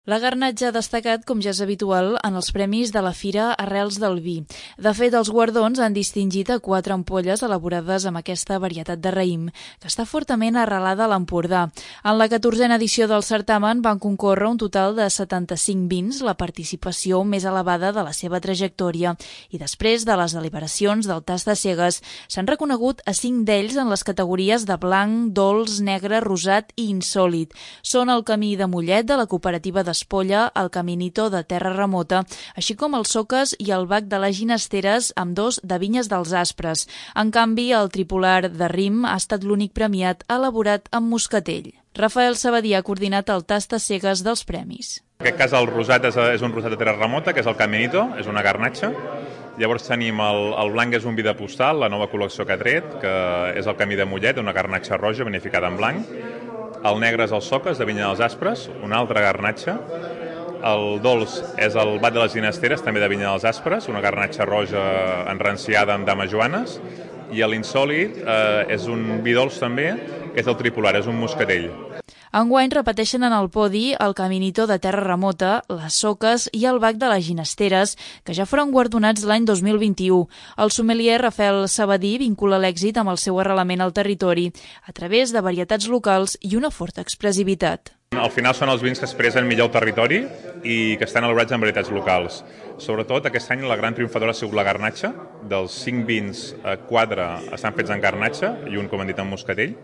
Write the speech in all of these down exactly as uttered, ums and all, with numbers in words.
La garnatxa ha destacat, com ja és habitual, en els premis de la Fira Arrels del Vi. De fet, els guardons han distingit a quatre ampolles elaborades amb aquesta varietat de raïm, que està fortament arrelada a l'Empordà. En la catorzena edició del certamen van concórrer un total de setanta-cinc vins, la participació més elevada de la seva trajectòria, i després de les deliberacions del tast de cegues s'han reconegut a cinc d'ells en les categories de blanc, dolç, negre, rosat i insòlit. Són el Camí de Mollet de la cooperativa de Espolla, el Caminito de Terra Remota, així com els Soques i el Bac de les Ginesteres, amb dos de Vinyes dels Aspres. En canvi, el tripolar de Rim ha estat l'únic premiat elaborat amb moscatell. Rafael Sabadí ha coordinat el tast a cegues dels premis. En aquest cas el rosat és, és un rosat de Terra Remota, que és el Caminito, és una garnatxa. Llavors tenim el, el blanc, és un vi de postal, la nova col·lecció que ha tret, que és el Camí de Mollet, una garnatxa roja beneficada en blanc. El negre és el Soques, de Vinya dels Aspres, una altra garnatxa. El dolç és el Bac de les Ginesteres, també de Vinya dels Aspres, una garnatxa roja enranciada amb dames joanes. I l'insòlit eh, és un vi dolç també, que és el tripolar, és un moscatell. Enguany repeteixen en el podi el Caminito de Terra Remota, les Soques i el Bac de les Ginesteres, que ja foren guardonats l'any dos mil vint-i-u. El sommelier Rafael Sabadí vincula l'èxit amb el seu arrelament al territori, a través de varietats locals i una forta expressivitat. Al final són els vins que expressen millor el territori i que estan elaborats en varietats locals. Sobretot aquest any la gran triomfadora ha sigut la garnatxa. Dels cinc vins, quatre estan fets en garnatxa i un, com hem dit, en moscatell.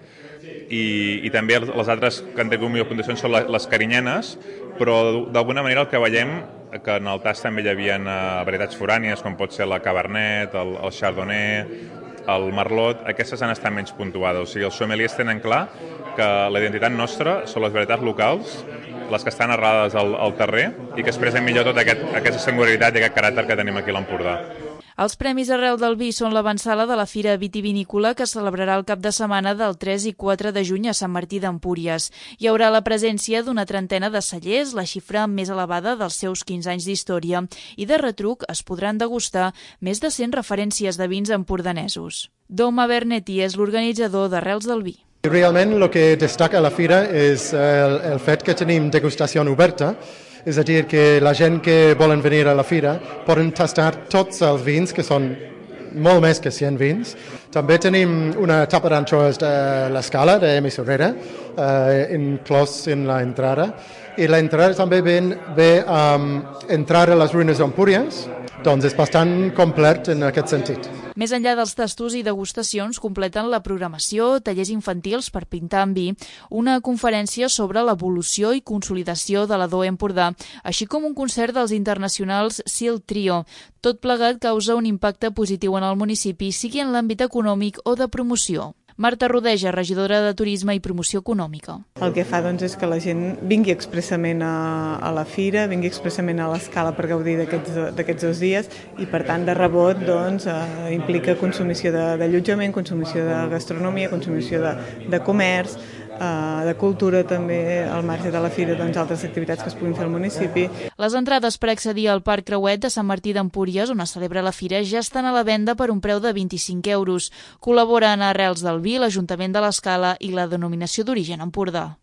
I, i també les altres que han tingut millor puntuació són les carinyenes, però d'alguna manera el que veiem que en el tast també hi havia varietats forànies, com pot ser la Cabernet, el, el Chardonnay, el Merlot, aquestes han estat menys puntuades. O sigui, els sommeliers tenen clar que la identitat nostra són les varietats locals, les que estan arrelades al, al terrer i que expressen millor tota aquest, aquesta singularitat i aquest caràcter que tenim aquí a l'Empordà. Els Premis Arrel del Vi són l'avantsala de la Fira Vitivinícola que es celebrarà el cap de setmana del tres i quatre de juny a Sant Martí d'Empúries. Hi haurà la presència d'una trentena de cellers, la xifra més elevada dels seus quinze anys d'història, i de retruc es podran degustar més de cent referències de vins empordanesos. Doma Bernetti és l'organitzador d'Arrels del Vi. Realment el que destaca a la fira és el, el fet que tenim degustació oberta, és a dir, que la gent que volen venir a la fira poden tastar tots els vins, que són molt més que cent vins. També tenim una tapa d'anxoves de l'Escala, de Mesurera, eh, inclòs en l'entrada. I l'entrada també ve, ve a um, entrar a les ruïnes d'Empúries, doncs és bastant complet en aquest sentit. Més enllà dels tastos i degustacions, completen la programació tallers infantils per pintar amb vi, una conferència sobre l'evolució i consolidació de la D O E Empordà, així com un concert dels internacionals Sil Trio. Tot plegat causa un impacte positiu en el municipi, sigui en l'àmbit econòmic o de promoció. Marta Rodeja, regidora de Turisme i Promoció Econòmica. El que fa doncs, és que la gent vingui expressament a, a la fira, vingui expressament a l'Escala per gaudir d'aquests dos dies i, per tant, de rebot doncs, eh, implica consumició d'allotjament, consumició de gastronomia, consumició de, de comerç, eh, de cultura també, al marge de la fira, doncs, altres activitats que es puguin fer al municipi. Les entrades per accedir al Parc Creuet de Sant Martí d'Empúries, on es celebra la fira, ja estan a la venda per un preu de vint-i-cinc euros. Col·laboren a Arrels del Vi, l'Ajuntament de l'Escala i la Denominació d'Origen Empordà.